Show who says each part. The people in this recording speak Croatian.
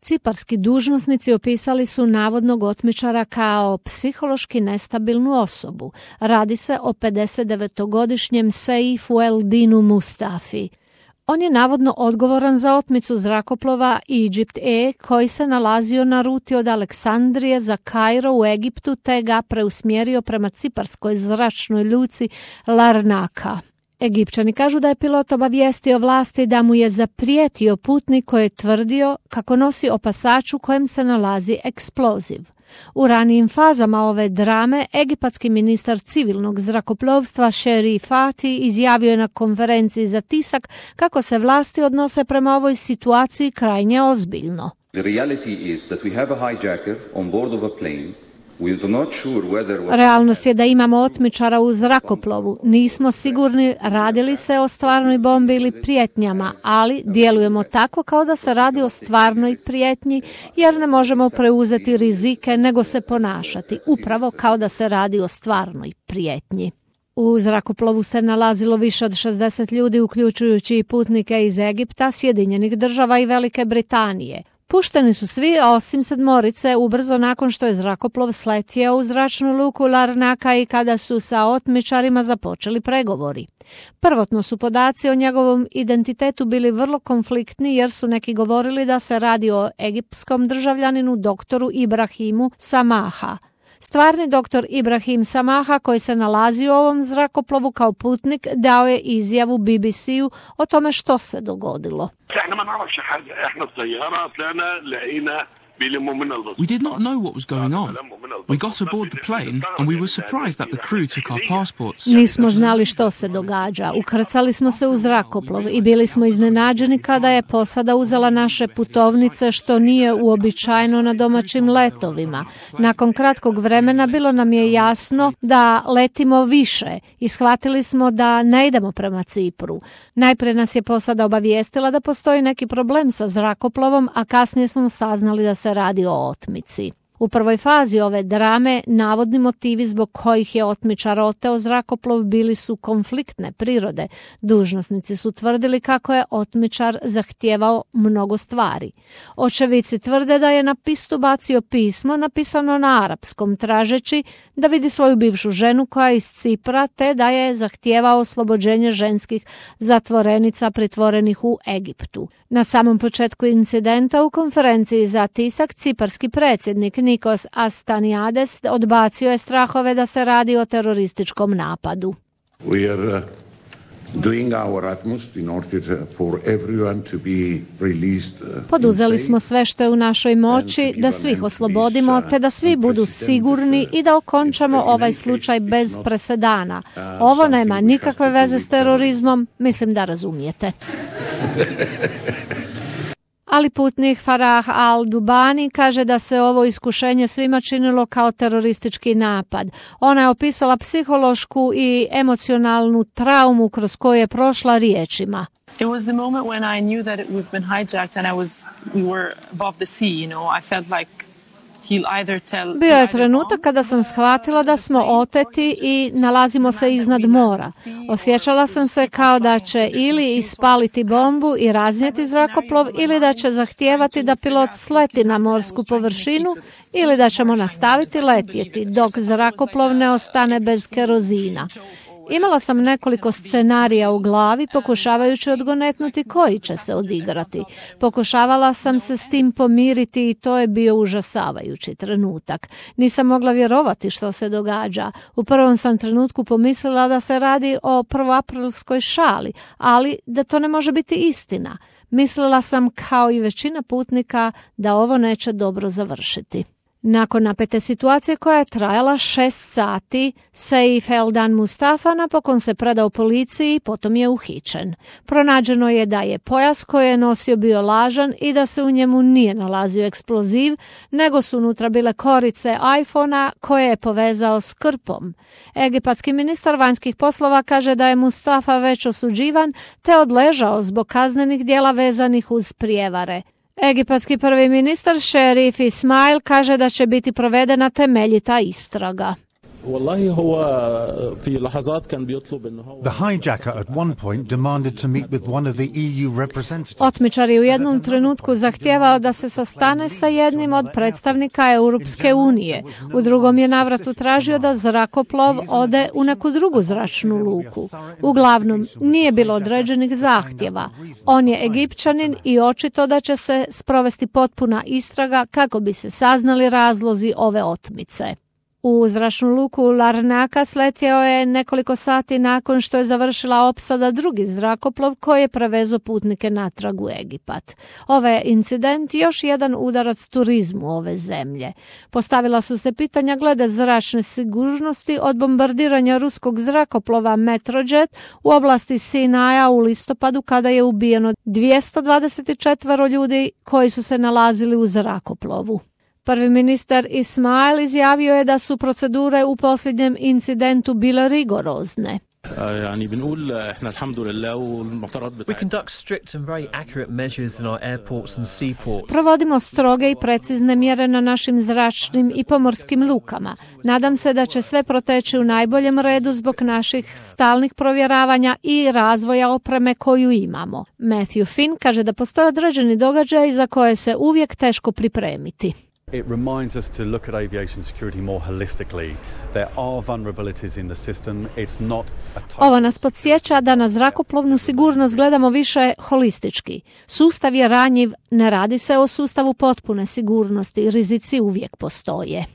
Speaker 1: Ciparski dužnosnici opisali su navodnog otmičara kao psihološki nestabilnu osobu. Radi se o 59-godišnjem Seifu Eldinu Mustafi. On je navodno odgovoran za otmicu zrakoplova Egypt Air koji se nalazio na ruti od Aleksandrije za Kairo u Egiptu te ga preusmjerio prema ciparskoj zračnoj luci Larnaka. Egipćani kažu da je pilot obavijestio vlasti da mu je zaprijetio putnik koji je tvrdio kako nosi opasač u kojem se nalazi eksploziv. U ranijim fazama ove drame, egipatski ministar civilnog zrakoplovstva Sherif Fati izjavio je na konferenciji za tisak kako se vlasti odnose prema ovoj situaciji krajnje ozbiljno. Realnost je da imamo otmičara u zrakoplovu. Nismo sigurni radili se o stvarnoj bombi ili prijetnjama, ali djelujemo tako kao da se radi o stvarnoj prijetnji jer ne možemo preuzeti rizike nego se ponašati upravo kao da se radi o stvarnoj prijetnji. U zrakoplovu se nalazilo više od 60 ljudi, uključujući i putnike iz Egipta, Sjedinjenih Država i Velike Britanije. Pušteni su svi osim 7 ubrzo nakon što je zrakoplov sletio u zračnu luku Larnaka i kada su sa otmičarima započeli pregovori. Prvotno su podaci o njegovom identitetu bili vrlo konfliktni jer su neki govorili da se radi o egiptskom državljaninu doktoru Ibrahimu Samaha. Stvarni doktor Ibrahim Samaha, koji se nalazi u ovom zrakoplovu kao putnik, dao je izjavu BBC-u o tome što se dogodilo.
Speaker 2: We did not know what was going on. We got aboard the plane and we were surprised that the crew took our passports.
Speaker 1: Nismo znali što se događa. Ukrcali smo se u zrakoplov i bili smo iznenađeni kada je posada uzela naše putovnice, što nije uobičajeno na domaćim letovima. Nakon kratkog vremena bilo nam je jasno da letimo više i shvatili smo da ne idemo prema Cipru. Najprije nas je posada obavijestila da postoji neki problem sa zrakoplovom, a kasnije smo saznali da se radi o otmici. U prvoj fazi ove drame navodni motivi zbog kojih je otmičar oteo zrakoplov bili su konfliktne prirode. Dužnosnici su tvrdili kako je otmičar zahtijevao mnogo stvari. Očevici tvrde da je na pistu bacio pismo napisano na arapskom tražeći da vidi svoju bivšu ženu koja je iz Cipra te da je zahtijevao oslobođenje ženskih zatvorenica pritvorenih u Egiptu. Na samom početku incidenta u konferenciji za tisak ciparski predsjednik Nikos Astaniades odbacio je strahove da se radi o terorističkom napadu.
Speaker 3: We are doing our utmost in order for everyone to be released.
Speaker 1: Poduzeli smo sve što je u našoj moći da svih oslobodimo te da svi budu sigurni i da okončamo ovaj slučaj bez presedana. Ovo nema nikakve veze s terorizmom, mislim da razumijete. Ali putnik Farah Al-Dubani kaže da se ovo iskušenje svima činilo kao teroristički napad. Ona je opisala psihološku i emocionalnu traumu kroz koju je prošla riječima.
Speaker 4: It was the moment when I knew that we've been hijacked and we were above the sea, you know. I felt like
Speaker 1: Bio je trenutak kada sam shvatila da smo oteti i nalazimo se iznad mora. Osjećala sam se kao da će ili ispaliti bombu i raznijeti zrakoplov ili da će zahtijevati da pilot sleti na morsku površinu ili da ćemo nastaviti letjeti dok zrakoplov ne ostane bez kerozina. Imala sam nekoliko scenarija u glavi pokušavajući odgonetnuti koji će se odigrati. Pokušavala sam se s tim pomiriti i to je bio užasavajući trenutak. Nisam mogla vjerovati što se događa. U prvom sam trenutku pomislila da se radi o prvoaprilskoj šali, ali da to ne može biti istina. Mislila sam kao i većina putnika da ovo neće dobro završiti. Nakon napete situacije koja je trajala 6 sati, Seif Eldan Mustafa napokon se predao policiji i potom je uhićen. Pronađeno je da je pojas koji je nosio bio lažan i da se u njemu nije nalazio eksploziv, nego su unutra bile korice iPhona koje je povezao s krpom. Egipatski ministar vanjskih poslova kaže da je Mustafa već osuđivan te odležao zbog kaznenih djela vezanih uz prijevare. Egipatski prvi ministar Šerif Ismail kaže da će biti provedena temeljita istraga.
Speaker 5: The hijacker at one point demanded to meet with one of the EU representatives.
Speaker 1: Otmičar je u jednom trenutku zahtijevao da se sastane sa jednim od predstavnika Europske unije. U drugom je navratu tražio da zrakoplov ode u neku drugu zračnu luku. Uglavnom, nije bilo određenih zahtjeva. On je Egipćanin i očito da će se sprovesti potpuna istraga kako bi se saznali razlozi ove otmice. U zračnu luku Larnaka sletio je nekoliko sati nakon što je završila opsada drugi zrakoplov koji je prevezao putnike natrag u Egipat. Ovaj incident još jedan udarac turizmu ove zemlje. Postavila su se pitanja glede zračne sigurnosti od bombardiranja ruskog zrakoplova Metrojet u oblasti Sinaja u listopadu kada je ubijeno 224 ljudi koji su se nalazili u zrakoplovu. Prvi ministar Ismail izjavio je da su procedure u posljednjem incidentu bile rigorozne.
Speaker 6: We conduct strict and very accurate measures in our airports and seaports.
Speaker 1: Provodimo stroge i precizne mjere na našim zračnim i pomorskim lukama. Nadam se da će sve proteći u najboljem redu zbog naših stalnih provjeravanja i razvoja opreme koju imamo. Matthew Finn kaže da postoje određeni događaji za koje se uvijek teško pripremiti.
Speaker 7: It reminds us to look at aviation security more holistically. There are vulnerabilities in the system. It's not a
Speaker 1: Ovo nas podsjeća da na zrakoplovnu sigurnost gledamo više holistički. Sustav je ranjiv, ne radi se o sustavu potpune sigurnosti, rizici uvijek postoje.